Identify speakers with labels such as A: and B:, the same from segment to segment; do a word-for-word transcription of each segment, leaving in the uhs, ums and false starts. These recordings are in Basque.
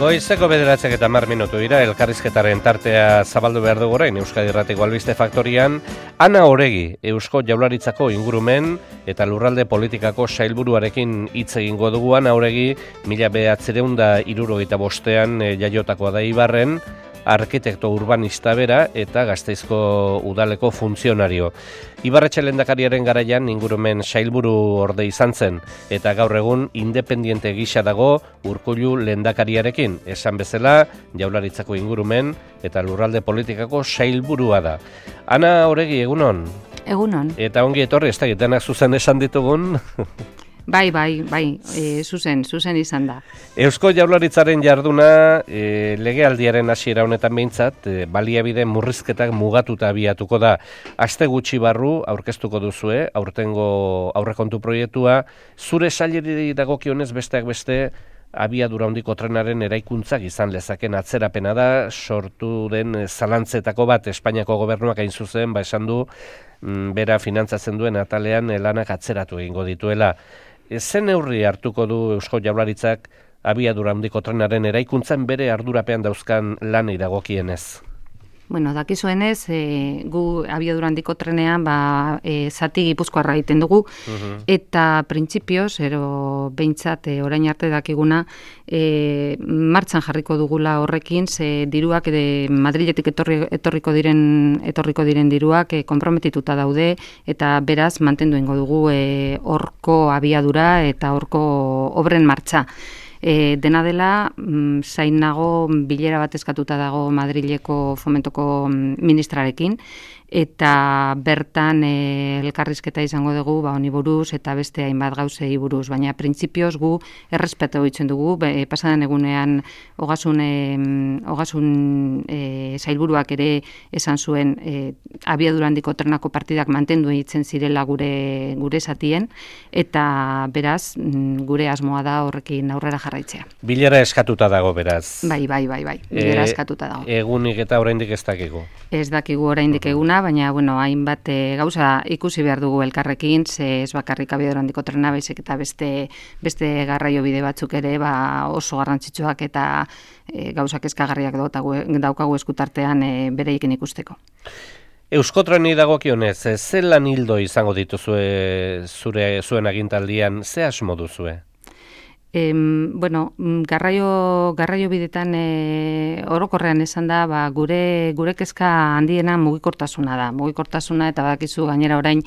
A: Goizeko bederatziak eta hamar minutu dira, elkarrizketaren tartea zabaldu behar dugu orain Euskadi Irratiko Albiste Faktorian. Ana Oregi, Eusko Jaurlaritzako ingurumen eta lurralde politikako sailburuarekin hitz egingo dugu. Ana Oregi, mila bederatziehun eta hirurogeita bostean jaiotakoa da Ibarren, arkitekto urbanista bera eta Gasteizko udaleko funtzionario. Ibarretxe lehendakariaren garaian ingurumen sailburu orde izan zen, eta gaur egun independiente gisa dago Urkullu lehendakariarekin. Esan bezala, Jaurlaritzako ingurumen eta lurralde politikako sailburua da. Ana Oregi, egunon?
B: Egunon.
A: Eta ongi etorri, ez da denak zuzen esan ditugun?
B: Bai, bai, bai, e, zuzen, zuzen izan da.
A: Eusko Jaurlaritzaren jarduna e, legealdiaren hasiera honetan behintzat, e, baliabide murrizketak mugatuta abiatuko da. Aste gutxi barru aurkeztuko duzue, aurtengo aurrekontu proiektua, zure saileri dagokionez besteak beste, abiadura handiko trenaren eraikuntzak izan lezaken atzerapena da, sortu den zalantzetako bat Espainiako gobernuak hain zuzen, ba esan du, bera finantzatzen duen atalean lanak atzeratu egingo dituela. Zen neurri hartuko du Eusko Jaurlaritzak abiadura handiko trenaren eraikuntzan bere ardurapean dauzkan lanei dagokienez?
B: Bueno, dakizuenez, e, gu abiadura handiko trenean ba, e, zati gipuzkoarra egiten dugu, uh-huh. eta printzipioz, ero behintzat e, orain arte dakiguna, e, martxan jarriko dugula horrekin, ze diruak e, Madriletik etorri, etorriko diren etorriko diren diruak e, konprometituta daude, eta beraz mantendu ingo dugu horko e, abiadura eta horko obren martxa. E, dena dela, mm, zain nago bilera bat eskatuta dago Madrileko fomentoko ministrarekin, eta bertan e, elkarrizketa izango dugu ba, honi buruz eta beste hainbat gauzei buruz, baina printzipioz gu errespetu ditzen dugu, be, pasadan egunean ogasun, e, ogasun e, sailburuak ere esan zuen e, abiadura handiko trenako partidak mantendu ditzen zirela gure gure zatien, eta beraz gure asmoa da horrekin aurrera jarraitzea.
A: Bilera eskatuta dago beraz.
B: Bai, bai, bai, bai. Bilera
A: e,
B: eskatuta dago.
A: Egunik eta oraindik ez dakigu.
B: Ez dakigu oraindik eguna, baina bueno, hainbat e, gauza ikusi behar dugu elkarrekin, ze ez bakarrik abiadura handiko trena, baizik eta beste beste garraio bide batzuk ere ba, oso garrantzitsuak eta e, gauzak eskagarriak daukagu eskutartean e, bereekin ikusteko.
A: Euskotreni dagokionez, ze lan hildo izango dituzue zure zuen agintaldian, ze asmo duzue?
B: E, bueno, garraio, garraio bidetan e, orokorrean esan da, ba, gure, gure kezka handiena mugikortasuna da. Mugikortasuna eta badakizu gainera orain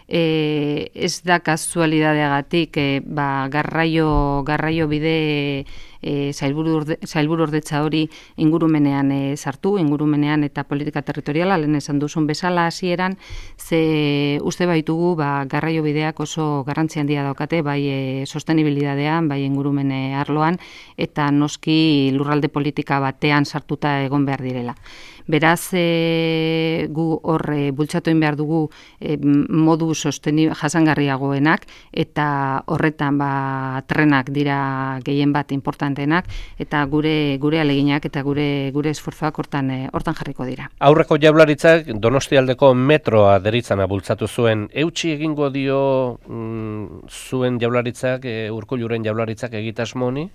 B: e, ez da kasualidadeagatik e, ba, garraio, garraio bide e, sailburu, orde, sailburu ordetza hori ingurumenean e, sartu, ingurumenean eta politika territoriala, lehen esan duzun bezala hasieran, ze uste baitugu ba, garraio bideak oso garrantzi handia daukate, bai e, sostenibilidadean, bai ingurumen arloan, eta noski lurralde politika batean sartuta egon behar direla. Beraz, e, gu hor e, bultzatu egin behar dugu e, modu sosteni jasangarriagoenak, eta horretan ba, trenak dira gehien bat importantenak, eta gure gure aleginak eta gure gure esfortzuak hortan e, hortan jarriko dira.
A: Aurreko Jaurlaritzak Donostialdeko metroa deritzana bultzatu zuen. Eutsi egingo dio mm, zuen Jaurlaritzak, e, Urkulluren Jaurlaritzak egitasmo honi?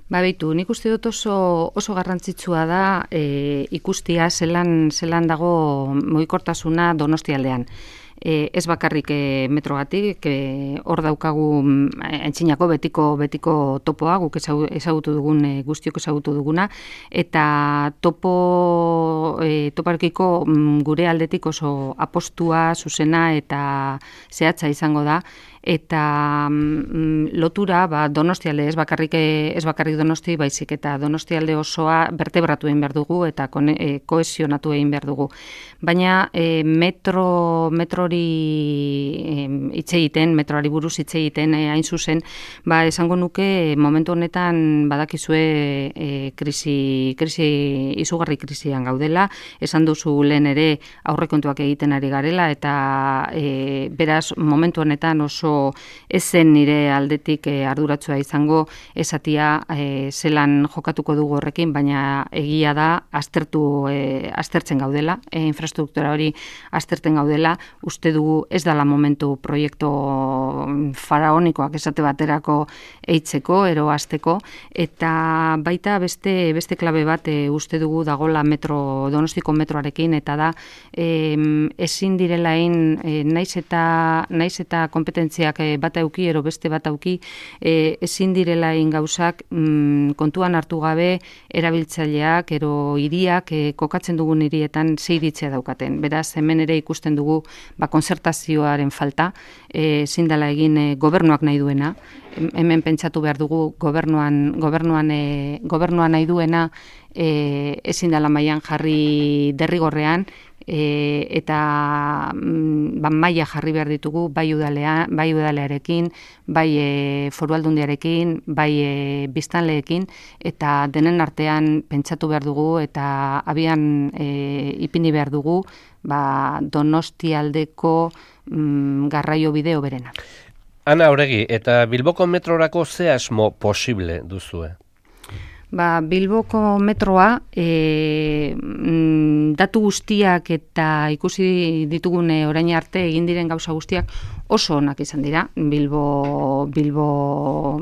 B: Ba, beitu, nik uste dut oso, oso garrantzitsua da e, ikustia zelan, zelan dago mugikortasuna Donostialdean. E, ez bakarrik e, metrogatik, e, hor daukagu aintzinako betiko betiko topoa, guk ezagutu dugun, e, guztiok ezagutu duguna, eta topo e, toparekiko gure aldetik oso apostua, zuzena eta zehatza izango da, eta mm, lotura ba, Donostialde, ez bakarrik, ez bakarrik Donosti, baizik eta Donostialde osoa bertebratu egin behar dugu eta kone, e, kohesionatu egin behar dugu. Baina e, metro, metrori hitz e, egiten, metroari buruz hitz egiten e, hain zuzen, ba, esango nuke momentu honetan badakizue e, krisi, krisi, izugarri krisian gaudela, esan duzu lehen ere aurrekontuak egiten ari garela, eta e, beraz momentu honetan oso oso ezen nire aldetik e, arduratsua izango esatia e, zelan jokatuko dugu horrekin, baina egia da aztertu e, aztertzen gaudela, e, infrastruktura hori aztertzen gaudela, uste dugu ez dela momentu proiektu faraonikoak esate baterako eitzeko, ero azteko, eta baita beste beste klabe bat e, uste dugu dagola metro, Donostiko metroarekin, eta da e, ezin direlain e, naiz eta naiz eta kompetentziak e, bat auki, ero beste bat auki, e, ezin direlain gauzak mm, kontuan hartu gabe erabiltzaileak, ero hiriak e, kokatzen dugun hirietan ze iritzia daukaten. Beraz, hemen ere ikusten dugu ba, konzertazioaren falta, ezin dela egin e, gobernuak nahi duena, hemen pentsatu behar dugu gobernuan, gobernuan, e, gobernuan nahi duena e, ezin dela mailan jarri derrigorrean, e, eta mm, ba, maila jarri behar ditugu bai udalea, bai udalearekin, bai e, foru aldundiarekin, bai e, biztanleekin, eta denen artean pentsatu behar dugu eta abian e, ipini behar dugu ba, Donostialdeko mm, garraio bide hoberena.
A: Ana Oregi, eta Bilboko metrorako ze asmo posible duzue?
B: Ba, Bilboko metroa e, datu guztiak eta ikusi ditugun orain arte egin diren gauza guztiak oso onak izan dira. Bilbo Bilbo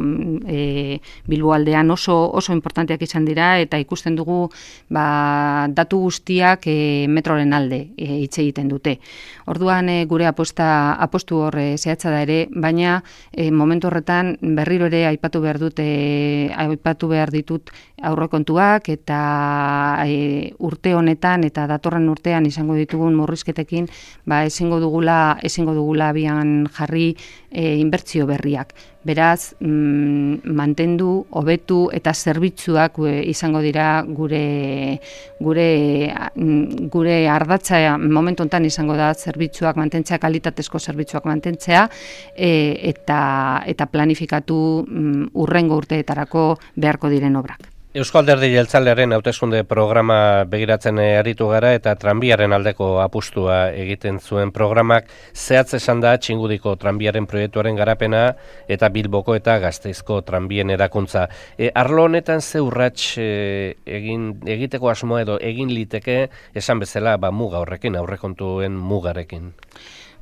B: e, Bilbo aldean oso oso importanteak izan dira, eta ikusten dugu ba, datu guztiak e, metroren alde e, hitz egiten dute. Orduan e, gure aposta apostu hor e, zehatza da ere, baina e, momentu horretan berriro ere aipatu behar dut e, aipatu behar ditut aurrekontuak, eta e, urte honetan eta datorren urtean izango ditugun murrizketekin ba ezingo dugula ezingo dugula abian jarri e, inbertsio berriak. Beraz, mm, mantendu, hobetu eta zerbitzuak e, izango dira gure gure gure ardatza momentu honetan izango da zerbitzuak mantentzea, kalitatezko zerbitzuak mantentzea e, eta eta planifikatu mm, urrengo urteetarako beharko diren obrak.
A: Eusko Alderdi Jeltzalearen hauteskunde programa begiratzen aritu gara, eta tranbiaren aldeko apustua egiten zuen programak zehatz esan da Txingudiko tranbiaren proiektuaren garapena eta Bilboko eta Gasteizko tranbien erakuntza. E, arlo honetan ze urrats e, egin egiteko asmoa edo egin liteke esan bezala ba, muga horrekin, aurrekontuen mugarekin?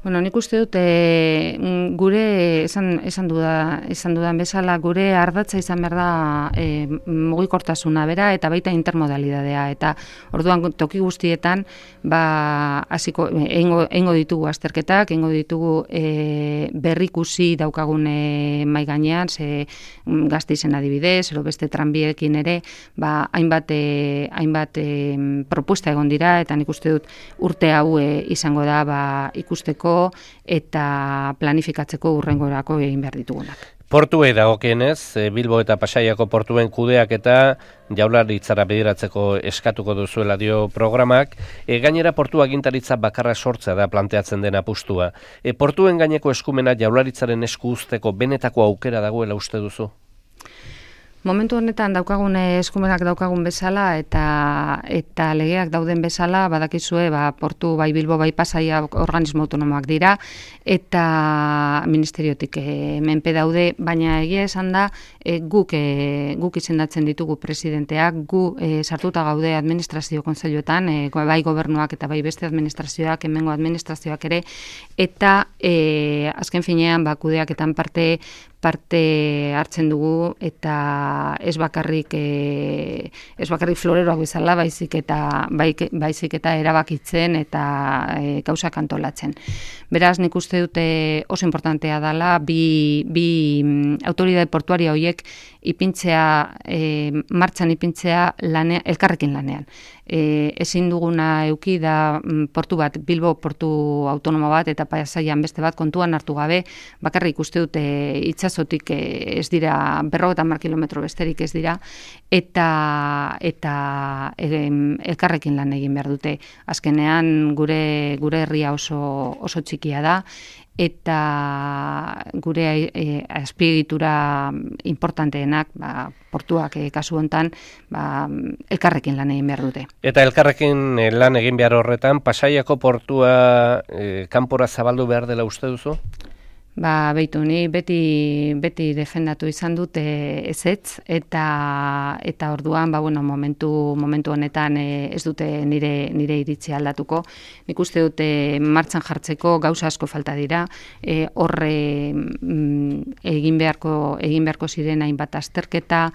B: Bueno, nik uste dut e, gure esan esan duda esan dudan bezala gure ardatza izan behar da e, mugikortasuna bera eta baita intermodalidadea, eta orduan toki guztietan ba hasiko eingo eingo ditugu azterketak, eingo ditugu e, berrikusi daukagun e, mai gainean, ze Gasteizen adibidez, edo beste tranbiekin ere, ba hainbat e, hainbat e, propuesta egon dira, eta nik uste dut urte hau e, izango da ba ikusteko eta planifikatzeko urrengorako egin behar ditugunak.
A: Portuei dagokienez, Bilbo eta Pasaiako portuen kudeak eta Jaurlaritzara begiratzeko eskatuko duzuela dio programak, e, gainera portu agintaritza bakarra sortzea da planteatzen den apustua. E, portuen gaineko eskumena Jaurlaritzaren esku uzteko benetako aukera dagoela uste duzu?
B: Momentu honetan daukagun eskumenak daukagun bezala eta eta legeak dauden bezala, badakizue ba, portu bai Bilbo bai Pasaia organismo autonomoak dira, eta ministeriotik e, menpe daude, baina egia esan da e, guk e, guk izendatzen ditugu presidenteak, gu e, sartuta gaude administrazio kontseiluetan, e, bai gobernuak eta bai beste administrazioak, hemengo administrazioak ere, eta e, azken finean ba, kudeaketan parte parte hartzen dugu, eta ez bakarrik e, ez bakarrik floreroak bezala, baizik eta baik, baizik eta erabakitzen eta e, gauzak antolatzen. Beraz, nik uste dute oso importantea dela bi, bi autoridade portuaria horiek ipintzea, e, martxan ipintzea lane, elkarrekin lanean. E, ezin duguna euki da portu bat, Bilbo portu autonomo bat eta Pasaian beste bat kontuan hartu gabe, bakarrik uste dute itsasotik e, ez dira berrogeita hamar kilometro besterik ez dira, eta eta e, elkarrekin lan egin behar dute. Azkenean gure gure herria oso oso txikia da, eta gure e, azpiegitura importanteenak, ba, portuak e, kasu hontan, ba, elkarrekin lan egin behar dute.
A: Eta elkarrekin e, lan egin behar horretan, Pasaiako portua e, kanpora zabaldu behar dela uste duzu?
B: Ba, beitu, ni beti, beti defendatu izan dut e, ezetz, eta eta orduan, ba, bueno, momentu, momentu honetan e, ez dute nire, nire iritzi aldatuko. Nik uste dute martxan jartzeko gauza asko falta dira, e, horre mm, egin beharko, egin beharko ziren hainbat azterketa,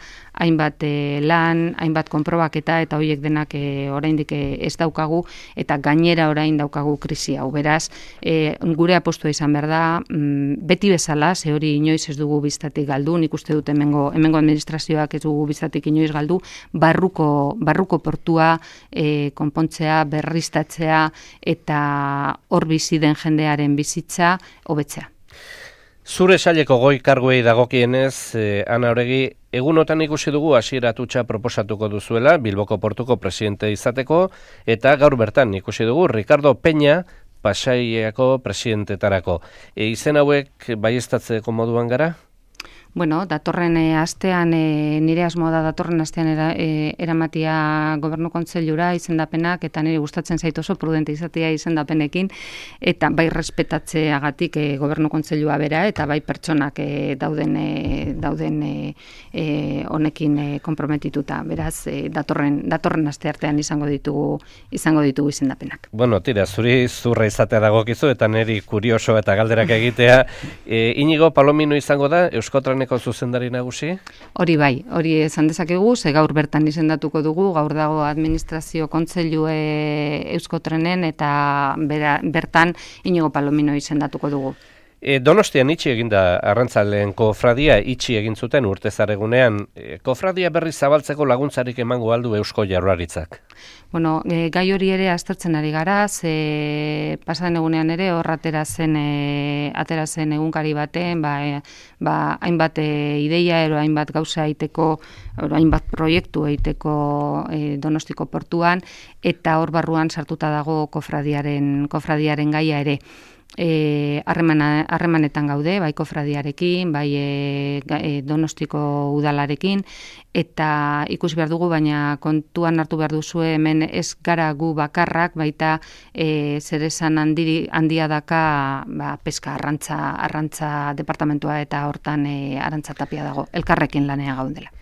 B: hainbat e, lan, hainbat konprobaketa, eta horiek denak e, oraindik e, ez daukagu, eta gainera orain daukagu krisi hau. Beraz, e, gure apostua izan behar da, mm, beti bezala, ze hori inoiz ez dugu biztatik galdu, nik uste dut hemengo, hemengo administrazioak ez dugu biztatik inoiz galdu, barruko, barruko portua e, konpontzea, berriztatzea, eta hor bizi den jendearen bizitza hobetzea.
A: Zure saileko goi karguei dagokienez, eh, Ana Oregi, egunotan ikusi dugu Asier Atutxa proposatuko duzuela Bilboko portuko presidente izateko, eta gaur bertan ikusi dugu Ricardo Peña Pasaiako presidentetarako. E, izen hauek baieztatzeko moduan gara?
B: Bueno, datorren e, astean, e, nire asmoa da datorren astean era, e, eramatia gobernu kontseilura izendapenak, eta nire gustatzen zait oso prudente izatea izendapenekin, eta bai respetatzeagatik e, gobernu kontseilua bera, eta bai pertsonak e, dauden e, dauden e, e, honekin e, konprometituta. Beraz, e, datorren datorren asteartean izango ditugu izango ditugu izendapenak.
A: Bueno, tira, zuri zurra izatea dagokizu, eta niri kurioso eta galderak egitea. E, Inigo Palomino izango da Euskotreneko zuzendari nagusi?
B: Hori bai, hori esan dezakegu, ze gaur bertan izendatuko dugu, gaur dago administrazio kontseilu Euskotrenen, eta bera, bertan Inigo Palomino izendatuko dugu.
A: E, Donostian itxi eginda arrantzaleen kofradia itxi egin zuten urtezaregunean. E, kofradia berri zabaltzeko laguntzarik emango aldu Eusko Jaurlaritzak?
B: Bueno, e, gai hori ere aztertzen ari gara, ze pasaden egunean ere hor atera zen, e, atera zen egunkari baten, ba, e, ba, hainbat e, ideia, ero hainbat gauza egiteko, ero hainbat proiektu egiteko e, Donostiko portuan, eta hor barruan sartuta dago kofradiaren, kofradiaren gaia ere. E, harremana, harremanetan gaude, bai kofradiarekin, bai e, e, Donostiko udalarekin, eta ikusi behar dugu, baina kontuan hartu behar duzue hemen ez gara gu bakarrak, baita e, zer esan handiri, handia daka ba, peska arrantza, arrantza departamentua, eta hortan e, Arantza Tapia dago, elkarrekin lanea gaudela.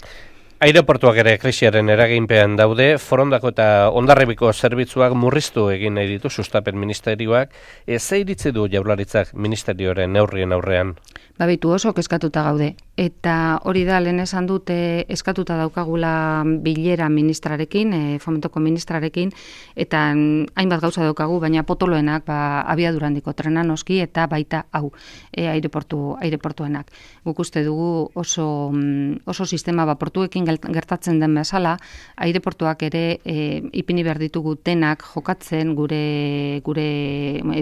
A: Aireportuak ere krisiaren eraginpean daude, Forondako eta Hondarribiko zerbitzuak murriztu egin nahi ditu sustapen ministerioak. E, ze iritzi du Jaurlaritzak ministerioaren neurrien aurrean?
B: Babitu oso eskatuta gaude. Eta hori da, lehen esan dute eskatuta daukagula bilera ministrarekin, e, fomentoko ministrarekin, eta hainbat gauza daukagu, baina potoloenak ba, abiadurandiko trena noski, eta baita hau, e, aireportu, aireportuenak. Guk uste dugu oso, oso sistema ba, portuekin gertatzen den bezala, aireportuak ere e, ipini behar ditugu denak jokatzen gure, gure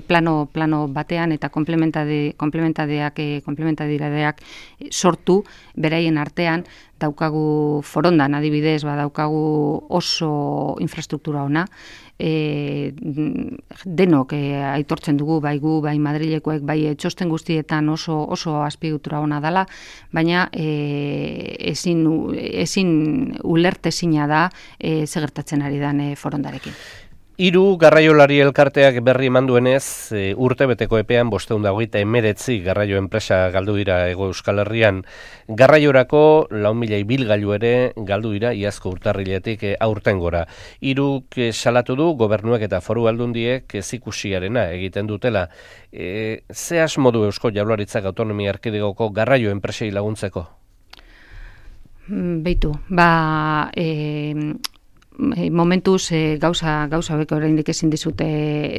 B: plano, plano batean, eta komplementade, komplementadeak, e, komplementadidadeak sortu beraien artean. Daukagu Forondan adibidez, ba, daukagu oso infrastruktura ona, e, denok e, aitortzen dugu, bai gu, bai Madrilekoek, bai txosten guztietan oso oso azpiegitura ona dela, baina e, ezin, ezin ulertezina da e, ze gertatzen ari den e, Forondarekin.
A: Hiru garraiolari elkarteak berri emanduenez, e, urtebeteko epean bostehun eta hogeita hemeretzi garraio enpresa galdu dira Hego Euskal Herrian. Garraiorako lau mila ibilgailu ere galdu dira iazko urtarriletik e, aurtengora. Hiruk e, salatu du gobernuek eta foru aldundiek ezikusiarena egiten dutela. E, ze asmo du Eusko Jaurlaritzak autonomia erkidegoko garraio enpresei laguntzeko?
B: Beitu, ba... E... momentuz e, gauza gauza beko oraindik ezin dizute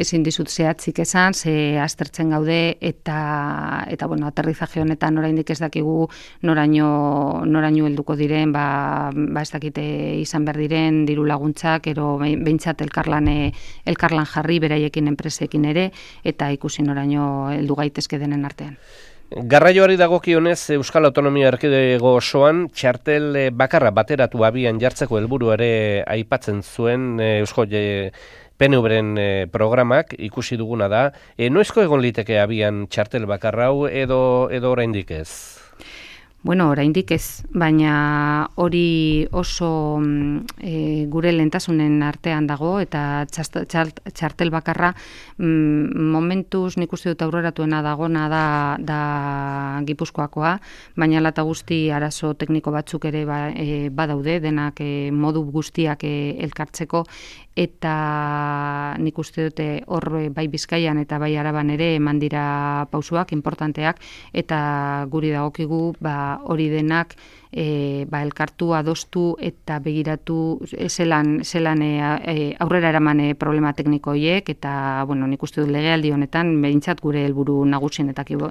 B: ezin dizut zehatzik esan, ze aztertzen gaude, eta eta bueno, aterrizaje honetan oraindik ez dakigu noraino noraino helduko diren, ba ba ez dakite izan behar diren diru laguntzak, ero behintzat elkarlan elkarlan jarri beraiekin enpresekin ere, eta ikusi noraino heldu gaitezke denen artean.
A: Garraioari dagokionez Euskal Autonomia Erkidego osoan txartel bakarra bateratu abian jartzeko helburu ere aipatzen zuen Eusko P N V-ren programak, ikusi duguna da. E, noizko egon liteke abian txartel bakarra hau edo edo oraindik ez?
B: Bueno, oraindik ez, baina hori oso e, gure lehentasunen artean dago eta txast, txart, txartel bakarra mm, momentuz nik uste dut aurreratuena dagona da, da Gipuzkoakoa, baina lata guzti arazo tekniko batzuk ere ba, e, badaude, denak e, modu guztiak e, elkartzeko, eta nik uste dute hor bai Bizkaian eta bai Araban ere eman dira pausuak importanteak, eta guri dagokigu ba, hori denak e, ba, elkartu, adostu eta begiratu zelan, zelan e, aurrera eraman e, problema tekniko horiek, eta bueno, nik uste dut legealdi honetan behintzat gure helburu nagusienetako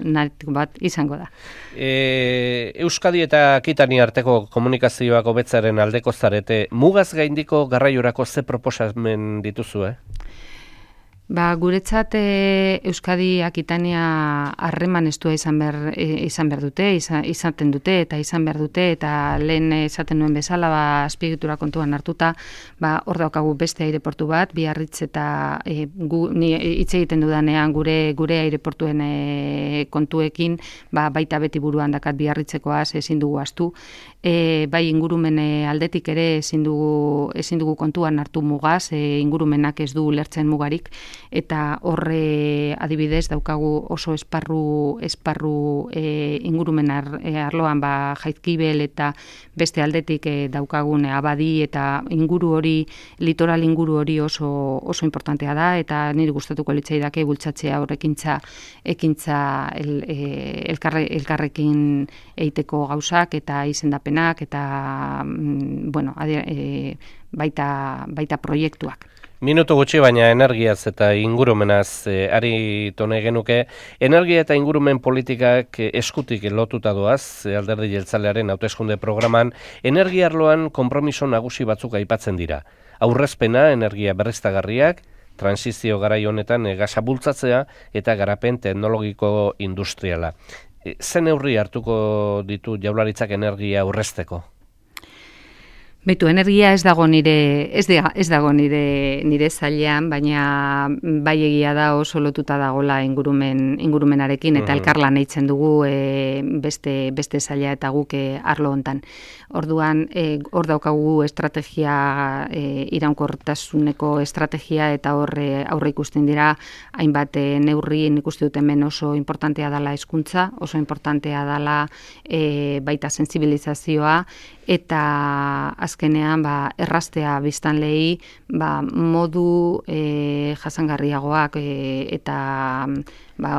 B: bat izango da.
A: E, Euskadi eta Akitania arteko komunikazioak hobetzaren aldeko zarete, mugaz gaindiko garraiorako ze proposamen dituzu, eh?
B: Ba, guretzat e, Euskadi Akitania harreman estua izan behar, e, izan behar dute, izan, izaten dute eta izan behar dute, eta lehen esaten nuen bezala, ba, azpiegitura kontuan hartuta, ba, hor daukagu beste aireportu bat, Biarritz eta e, gu, ni hitz egiten dudanean gure gure aireportuen e, kontuekin, ba, baita beti buruan dakat Biarritzekoaz ezin dugu astu, e, bai ingurumen aldetik ere ezin dugu, ezin dugu kontuan hartu mugaz, e, ingurumenak ez du lertzen mugarik, eta horre adibidez daukagu oso esparru esparru e, ingurumen ar, e, arloan ba Jaizkibel eta beste aldetik e, daukagun Abadi eta inguru hori, litoral inguru hori oso oso importantea da, eta niri gustatuko litzaidake bultzatzea horrekintza ekintza el, e, elkarre, elkarrekin eiteko gauzak eta izendapenak eta mm, bueno, adi, e, baita baita proiektuak.
A: Minutu gutxi baina energiaz eta ingurumenaz e, ari tone genuke. Energia eta ingurumen politikak e, eskutik lotuta doaz, e, Alderdi Jeltzalearen hauteskunde programan, energia arloan konpromiso nagusi batzuk aipatzen dira. Aurrezpena, energia berriztagarriak, transizio garai honetan e, gasa bultzatzea eta garapen teknologiko industriala. E, ze neurri hartuko ditu Jaurlaritzak energia aurrezteko?
B: Beitu, energia ez dago nire ez, de, ez dago nire nire zailean, baina bai egia da oso lotuta dagola ingurumen ingurumenarekin eta elkarlan eitzen dugu e, beste beste zaila eta guk e, arlo hontan. Orduan e, hor daukagu estrategia e, iraunkortasuneko estrategia eta hor e, aurre ikusten dira hainbat e, neurri, nik uste dut hemen oso importantea dela hezkuntza, oso importantea dela e, baita sentsibilizazioa eta azkenean ba, erraztea biztanleei ba, modu e, jasangarriagoak e, eta ba,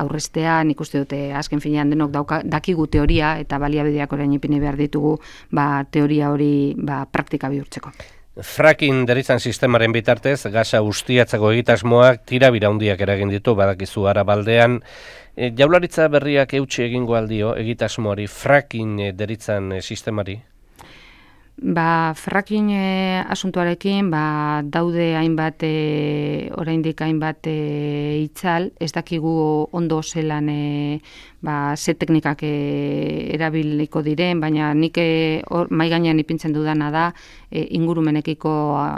B: aurreztea, nik uste dute azken finean denok dauka, dakigu teoria eta baliabideak orain ipini behar ditugu ba, teoria hori ba, praktika bihurtzeko.
A: Fracking deritzan sistemaren bitartez, gasa ustiatzeko egitasmoak tirabira handiak eragin ditu, badakizu Arabaldean. E, Jaurlaritza berriak eutsi egingo aldio egitasmoari, fracking deritzan sistemari?
B: Ba, fracking e, asuntuarekin ba, daude hainbat e, oraindik hainbat e, itzal, ez dakigu ondo zelan e, ba, ze teknikak e, erabiliko diren, baina nik e, or, mai gainean ipintzen dudana da e, ingurumenekiko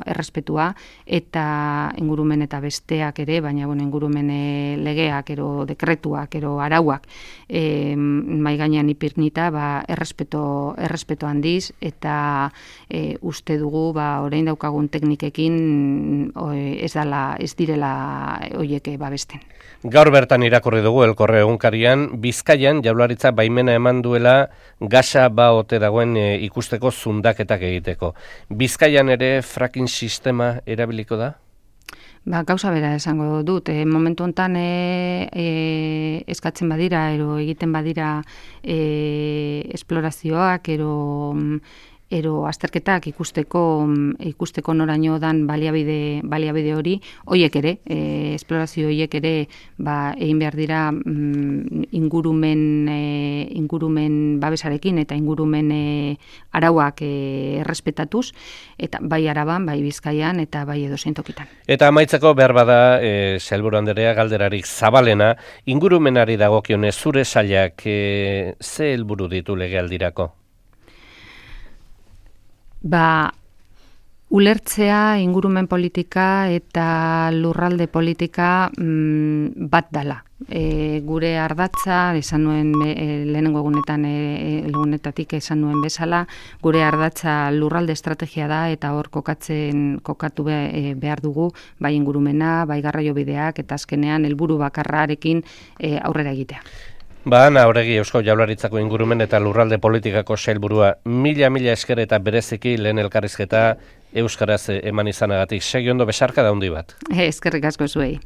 B: errespetua eta ingurumen eta besteak ere, baina bueno, ingurumen e, legeak, ero dekretuak, ero arauak e, mai gainean ipirnita ba, errespeto, errespeto handiz eta e, uste dugu ba, orain daukagun teknikekin o, ez, dala, ez direla hoiek babesten.
A: Gaur bertan irakurri dugu Elkorre egunkarian, Bizkaian Jaurlaritza baimena eman duela gasa ba ote dagoen e, ikusteko zundaketak egiteko. Bizkaian ere fracking sistema erabiliko da?
B: Ba, gauza bera esango dut, e, momentu honetan e, e, eskatzen badira, ero egiten badira e, esplorazioak, ero ero azterketak ikusteko ikusteko noraino dan baliabide baliabide hori, hoiek ere, e, esplorazio hoiek ere ba egin behar dira mm, ingurumen e, ingurumen babesarekin eta ingurumen e, arauak e, errespetatuz eta bai Araban, bai Bizkaian eta bai edozein tokitan.
A: Eta amaitzeko behar bada e, sailburu anderea galderarik zabalena, ingurumenari dagokionez zure sailak e, ze helburu ditu legealdirako?
B: Ba, Ulertzea ingurumen politika eta lurralde politika mm, bat dala. E, gure ardatza, esan nuen e, lehenengo egunetan, e, egunetatik esan nuen bezala, gure ardatza lurralde estrategia da eta hor kokatzen kokatu be, e, behar dugu, bai ingurumena, bai garraiobideak eta azkenean helburu bakarrarekin e, aurrera egitea.
A: Ba, Ana Oregi, Eusko Jaurlaritzako ingurumen eta lurralde politikako sailburua, mila-mila esker eta bereziki lehen elkarrizketa euskaraz eman izanagatik. Segi ondo besarka da handi bat.
B: Eskerrik asko zuei.